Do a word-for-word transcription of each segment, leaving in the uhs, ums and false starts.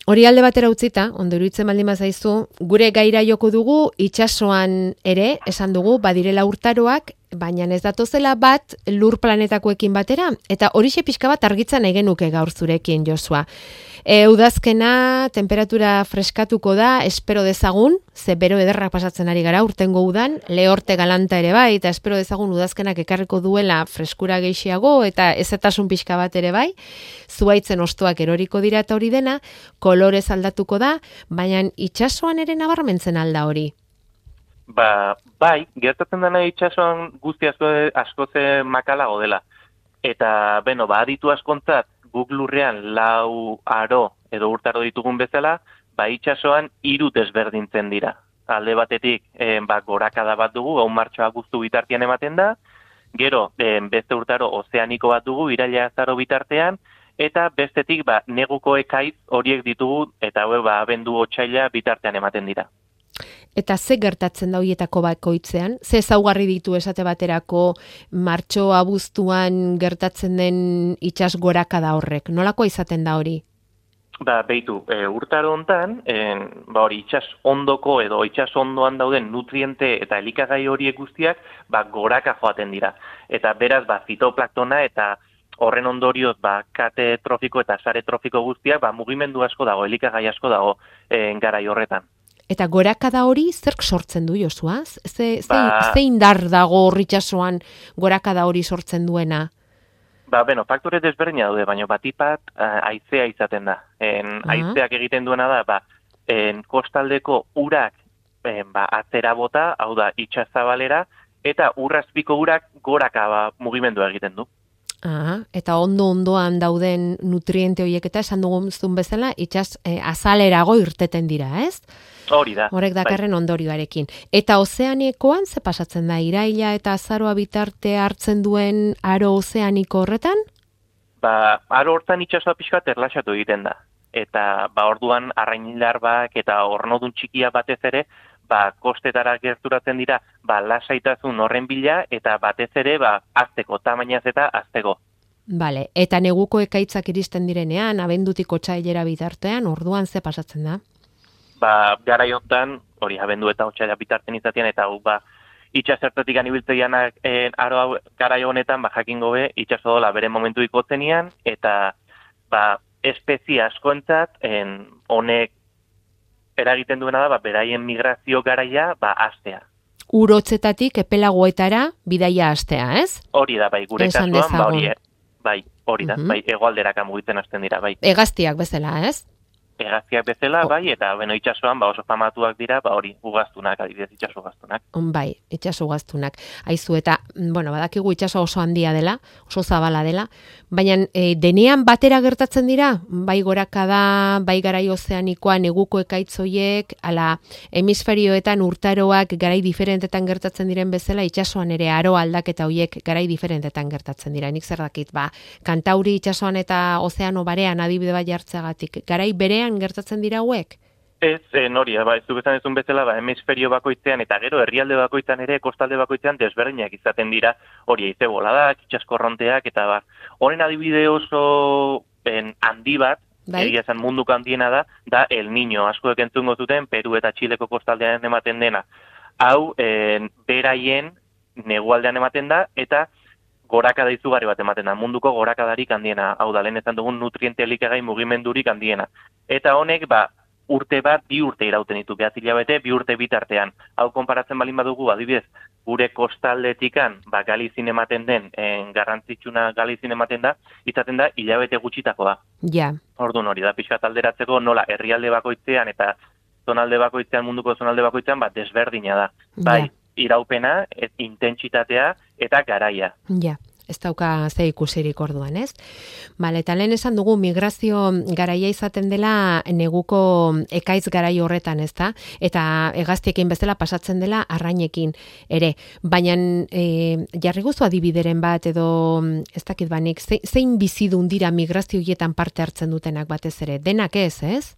Hori alde batera utzita, ondo iruditzen baldin bazaizu, gure gaira joko dugu itsasoan ere, esan dugu, badirela urtaroak, baina ez datozela bat lur planetakoekin batera, eta horixe pixka bat argitzen nahi genuke gaur zurekin, Josua. E, udazkena, temperatura freskatuko da, espero dezagun, ze bero ederra pasatzen ari gara urtengo udan, lehorte galanta ere bai, eta espero dezagun udazkenak ekarriko duela freskura gehiago, eta ezetasun pixka bat ere bai, zuaitzen ostoak eroriko dira eta hori dena, kolorez aldatuko da, baina itsasoan ere nabarmentzen alda hori. Ba, bai, gertatzen dena itsasoan guzti asko askoze makalago dela. Eta, beno, ba, aditu askontzat, guk lurrean lau aro edo urtaro ditugun bezala, ba, itsasoan hiru desberdintzen dira. Alde batetik, eh, ba, gorakada bat dugu, hau martxoa guztu bitartean ematen da, gero, eh, beste urtaro ozeaniko bat dugu, iraila azaro bitartean, eta bestetik, ba, neguko ekaiz horiek ditugu, eta hau, ba, abendu otsaila bitartean ematen dira. Eta ze gertatzen da horietako bakoitzean? Ze ezaugarri ditu esate baterako martxo abuztuan gertatzen den itsas gorakada horrek? Nolakoa izaten da hori? Ba, beitu, e, urtaro hontan, e, ba hori itsas ondoko edo itsas ondoan dauden nutriente eta elikagai horiek guztiak, ba, goraka joaten dira. Eta beraz, ba, fitoplaktona eta horren ondorioz, ba, kate trofiko eta sare trofiko guztiak, ba, mugimendu asko dago, elikagai asko dago e, garai horretan. Eta gorakada hori zerk sortzen du, Josua? Ze, ze, ba, ze indar dago horritxasuan gorakada hori sortzen duena? Ba, beno, faktore desberdina daude, baina batipat uh, haizea izaten da. En, uh-huh. Haizeak egiten duena da, ba, en, kostaldeko urak en, ba, atzera bota, hau da, itsazabalera, eta urrazpiko urak goraka ba, mugimendua egiten du. Aha, eta ondo-ondoan dauden nutriente horiek eta esan dugun bezala, itxas eh, azalerago irteten dira, ez? Hori da. Horrek dakarren bai. Ondorioarekin. Eta ozeanikoan ze pasatzen da? Iraila eta azaroa bitarte hartzen duen aro ozeaniko horretan? Ba, aro hortan itsasoa pixka erlaxatu egiten da. Eta ba, orduan arrainilarbak eta ornodun txikia batez ere, ba, kostetara gerturatzen dira, ba, lasaitasun horren bila, eta batez ere, ba, azteko, tamainaz eta azteko. Bale, eta neguko ekaitzak iristen direnean, abendutik otsailera bitartean, orduan ze pasatzen da? Ba, garai hontan, hori abendu eta otsaila bitartean izatean, eta ba, itxasertatik anibiltzegianak eh, aro garai honetan, ba, jakingo be, itxaso dola bere momentu ikotzenian, eta ba, espezie askoentzat, en, honek eragiten duena da, ba, beraien migrazio garaia, ba, astea. Urotzetatik epelagoetara bidaia astea, ez? Hori da, bai, gure kasuan, ba, hori, bai, hori da, uh-huh. bai, hegoalderaka mugitzen hasten dira, bai. Hegaztiak bezala, ez? Hegaztiak bezala, bai, eta beno itsasoan ba oso famatuak dira, ba hori, ugaztunak, adibidez itsaso gaztunak. Bai, itsaso gaztunak. Aizu eta, bueno, badakigu itsaso oso handia dela, oso zabala dela, baina e, denean batera gertatzen dira, bai gorakada, bai garai ozeanikoa, neguko ekaitzoiek, ala hemisferioetan urtaroak garai diferentetan gertatzen diren bezala, itsasoan ere aro aldaketa hoiek garai diferentetan gertatzen dira. Nik zer dakit, ba, Kantauri itsasoan eta ozeano barean adibide bat jartzeagatik, garai berean gertatzen dira hauek? Ez, en hori, ba, ez du bezan ezun bezala, ba, hemisferio bakoitzean eta gero herrialde bakoitzan ere, kostalde bakoitzean desberdinak izaten dira, hori eize boladak, itxaskorronteak, eta ba, honen adibide oso en, handi bat, bai? Egia esan munduko handiena da, da El Niño, askoek entzungo zuten, Peru eta Txileko kostaldean ematen dena. Hau, en, beraien negualdean ematen da, eta gorakada izugarri bat ematen da, munduko gorakadarik handiena, hau da, lehen ezan dugun nutriente elikagai mugimendurik handiena. Eta honek, ba, urte bat, bi urte irauten ditu, behatzi hilabete, bi urte bitartean. Hau konparatzen balin badugu, adibidez, gure kostaldetikan, ba, Galizin ematen den, en, garrantzitsuna Galizin ematen da, izaten da, hilabete gutxitako da. Ja. Orduan hori da, pixkat alderatzeko, nola, herrialde bakoitzean eta zonalde bakoitzean, munduko zonalde bakoitzean, ba, desberdina da. Bai, ja. Iraupena, et, intentsitatea eta garaia. Ja. Ez dauka ze ikusirik orduan, ez? Bale, eta lehen esan dugu migrazio garaia izaten dela neguko ekaiz garai horretan, ez da? Eta hegaztiekin bezala pasatzen dela arrainekin ere. Baina e, jarri guzu adibideren bat edo ez dakit banik, zein bizidun dira migrazio hietan parte hartzen dutenak batez ere? Denak ez, ez?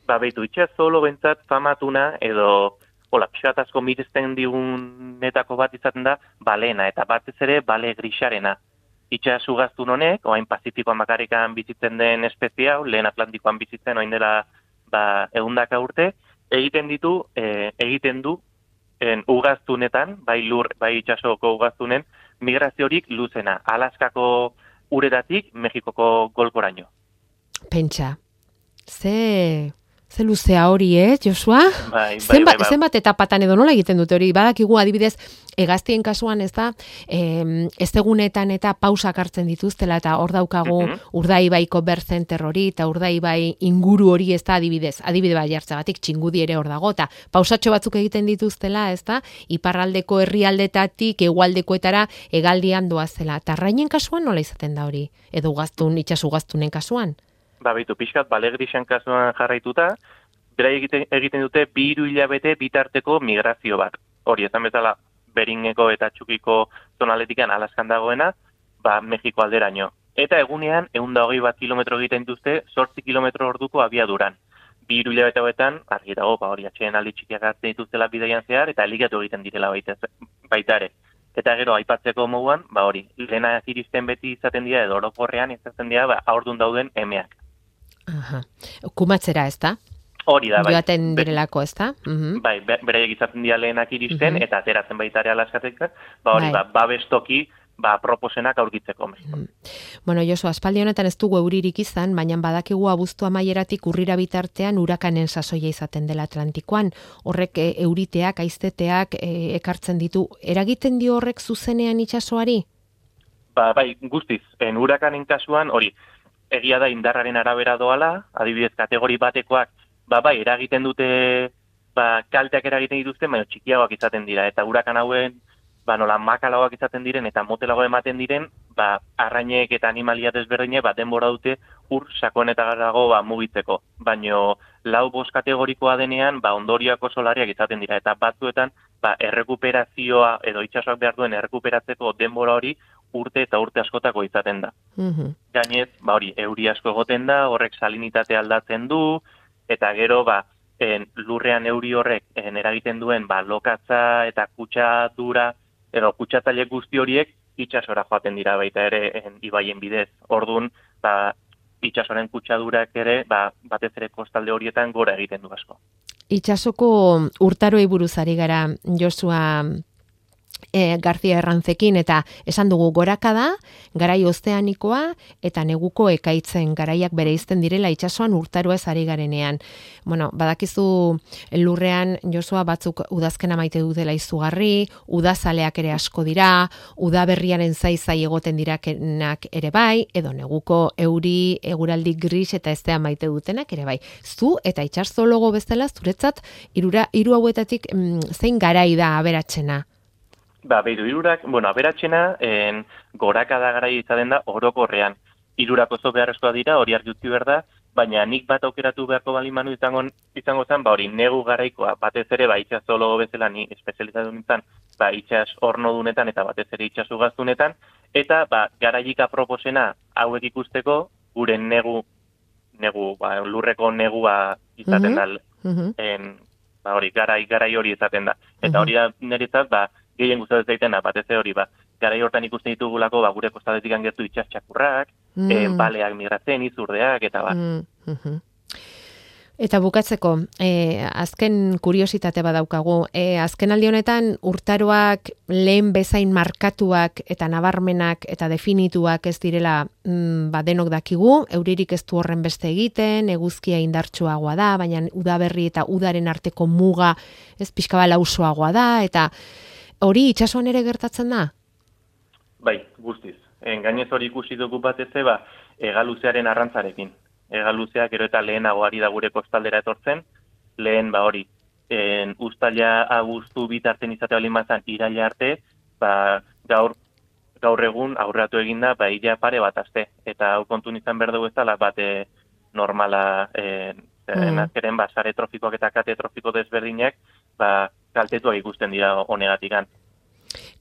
Ba, behitu, itxasolo bentsat famatuna edo hola, pixat asko mirizten digunetako bat izaten da balena, eta batez ere bale grisarena. itxas ugaztun honek, oain Pazifikoan bakarrikan bizitzen den espezie hau, lehen Atlantikoan bizitzen oain dela ba, egundaka urte, egiten ditu, e, egiten du en, ugaztunetan, bai lur, bai itxasoko ugaztunen, migraziorik luzena, Alaskako uretatik Mexikoko golkoraino. Pentsa, ze... Ze luzea hori, eh, Josua? Bai, bai, zenbat, bai, bai. zenbat etapatan edo nola egiten dute hori? Badakigu adibidez, hegaztien kasuan ez da, eh, ez egunetan eta pausak hartzen dituztela, eta hor daukagu Mhm. Urdaibaiko berzenter hori, eta Urdaibai inguru hori ez da adibidez, adibide bai jartzagatik txingudi ere hor dago, eta pausatxo batzuk egiten dituztela, ez da, iparraldeko herrialdetatik hegoaldekoetara hegaldian doazela. Eta arrainen kasuan nola izaten da hori? Edo ugaztun, itxasu ugaztunen kasuan? Ba, bitu, pixkat, balegrisen kasuan jarraituta, bera egiten, egiten dute bi hiru hilabete bitarteko migrazio bat. Hori, ezan bezala, Beringeko eta Txukiko zonaletikan Alaskan dagoena, ba, Mexiko alderaino. Eta egunean, ehun eta hogei bat kilometro egiten duzte, zortzi kilometro orduko abiaduran. Bi hiru hilabete hauetan, argi dago, ba, hori, atxeen aldi txikiak hartzen dituztela bidaian zehar, eta elikatu egiten direla baita, baita ere. Eta gero, aipatzeko moduan, ba, hori, lehena iristen beti izaten dira, edo orokorrean izaten dira, ba, haurdun dauden emeak. Aha. Kumatzera, ez da? Hori da, bai. Joaten direlako, ez da? Uh-huh. Bai, beraiek izaten dira lehenak iristen, Mhm. eta ateratzen baita ere Alaskatik, ba hori, Bai. ba, babestoki, ba, proposenak aurkitzeko. Mhm. Bueno, Josu, aspaldi honetan ez dugu euririk izan, baina badakigu abuztu amaieratik urrira bitartean urakanen sasoia izaten dela Atlantikoan. Horrek e, euriteak, aizteteak e, ekartzen ditu. Eragiten dio horrek zuzenean itsasoari? Ba, bai, guztiz, en urakanen kasuan, hori, egia da indarraren arabera doala, adibidez kategori batekoak, ba, bai, eragiten dute, ba, kalteak eragiten dituzte, baina txikiagoak izaten dira, eta urakan hauen, ba, nola makalagoak izaten diren, eta motelago ematen diren, ba, arrainek eta animalia desberdine, ba, denbora dute ur sakonetarago ba, mugitzeko. Baino, lau bost kategorikoa denean, ba, ondorioak oso larriak izaten dira, eta batzuetan, ba, errekuperazioa, edo itsasoak behar duen errekuperatzeko denbora hori, urte eta urte askotako izaten da. Mhm. Gainez, ba hori, euri asko egoten da, horrek salinitatea aldatzen du, eta gero, ba, en, lurrean euri horrek en, eragiten duen, ba, lokatza eta kutsadura, edo kutsatzaile guzti horiek itsasora joaten dira baita ere en, ibaien bidez. Ordun, ba, itsasoren kutsadurak ere, ba, batez ere kostalde horietan gora egiten du asko. Itsasoko urtaroei buruz ari gara, Josua E, García Errantzekin, eta esan dugu gorakada, garai ozeanikoa eta neguko ekaitzen garaiak bereizten direla itsasoan urtaroez ari garenean. Bueno, badakizu lurrean Josua batzuk udazkena maite dutela izugarri, udazaleak ere asko dira, udaberriaren zaizai egoten dirakenak ere bai, edo neguko euri, eguraldi gris eta eztea maite dutenak ere bai. Zu eta itsasologo bezala zuretzat hirura hiru hauetatik mm, zein garai da aberatsena? Ba, behiru, irurak, bueno, aberatxena, en, gorakada garai izaten da orokorrean. Irurak oso beharrezkoa dira, hori argi utzi behar da, baina nik bat aukeratu beharko bali manu izango, izango zen, ba, hori negu garaikoa, batez ere, ba, itsasologo bezala ni espezializatu nintzen, ba, itsas ornodunetan eta batez ere itsasu gaztunetan, eta, ba, garaik aproposena hauek ikusteko, gure negu, negu, ba, lurreko negua izaten da, Mhm. en, ba, hori, garai, garai hori izaten da. Eta hori da, niretzat, ba, gehien gustatzen zaitena, batez hori, ba, garai hortan ikusten ditugulako, ba, gure kostaldetik gertu itsas txakurrak, Mm. eh, baleak migratzen, izurdeak, eta ba. Mm, mhm. Eta bukatzeko, eh, azken kuriositate badaukagu, eh, azken aldi honetan urtaroak lehen bezain markatuak eta nabarmenak eta definituak ez direla mm, ba, denok dakigu, euririk ez du horren beste egiten, eguzkia indartsuagoa da, baina udaberri eta udaren arteko muga ez pixka lausoagoa da, eta hori itsasoan ere gertatzen da? Bai, guztiz. En, gainez hori ikusi dugu batez ba, hegaluzearen arrantzarekin. Hegaluzea gero eta lehenago ari da gure kostaldera etortzen, lehen ba hori, en, uztaila abuztu bitarten izate bali mazan iraila arte, ba, gaur, gaur egun aurreratu eginda, ba, ila pare bat aste. Eta hau kontun izan behar dugu ez dela, bate normala, en, mm. azkeren, ba, sare trofikoak eta kate trofiko desberdinak, ba, kaltetuak ikusten dira honegatikan.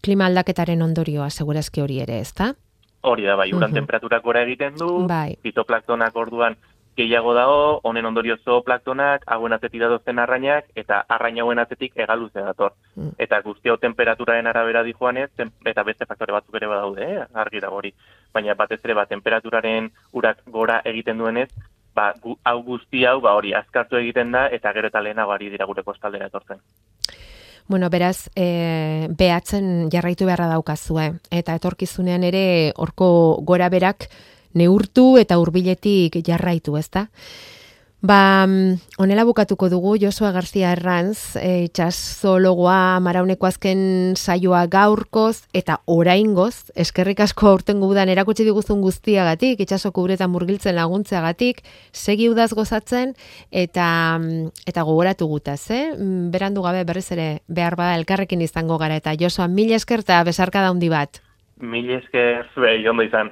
Klima aldaketaren ondorioa, segurazki hori ere, ez da? Hori da, bai, uran Mhm. temperaturak gora egiten du, Bai. fitoplantonak orduan gehiago dago, honen ondorio zooplantonak, hauen atzetik datozten arrainak, eta arrain hauen atzetik hegaluzea dator. Mm. Eta guzti hau temperaturaren arabera dijoanez, tem- eta beste faktore batzuk ere badaude, eh? Argi dago hori. baina batez ere ba, temperaturaren urak gora egiten duenez, ba, gu, hau guzti hau ba, hori azkartu egiten da eta gero eta lehenago ari dira gure kostaldera etortzen. Bueno, beraz, e, behatzen jarraitu beharra daukazue, eta etorkizunean ere horko gora berak neurtu eta hurbiletik jarraitu, ezta? Ba, honela bukatuko dugu, Josua García Herranz, e, itxasologoa Marauneko azken saioa gaurkoz eta oraingoz, eskerrik asko aurtengo udan erakutsi diguzun guztiagatik, itxasoko uretan murgiltzen laguntzeagatik, segi udaz gozatzen eta eta gogoratu gutaz, eh? Berandu gabe berriz ere behar bada elkarrekin izango gara eta Josua, mila esker eta besarkada handi bat. Mila esker, zuei, ondo izan.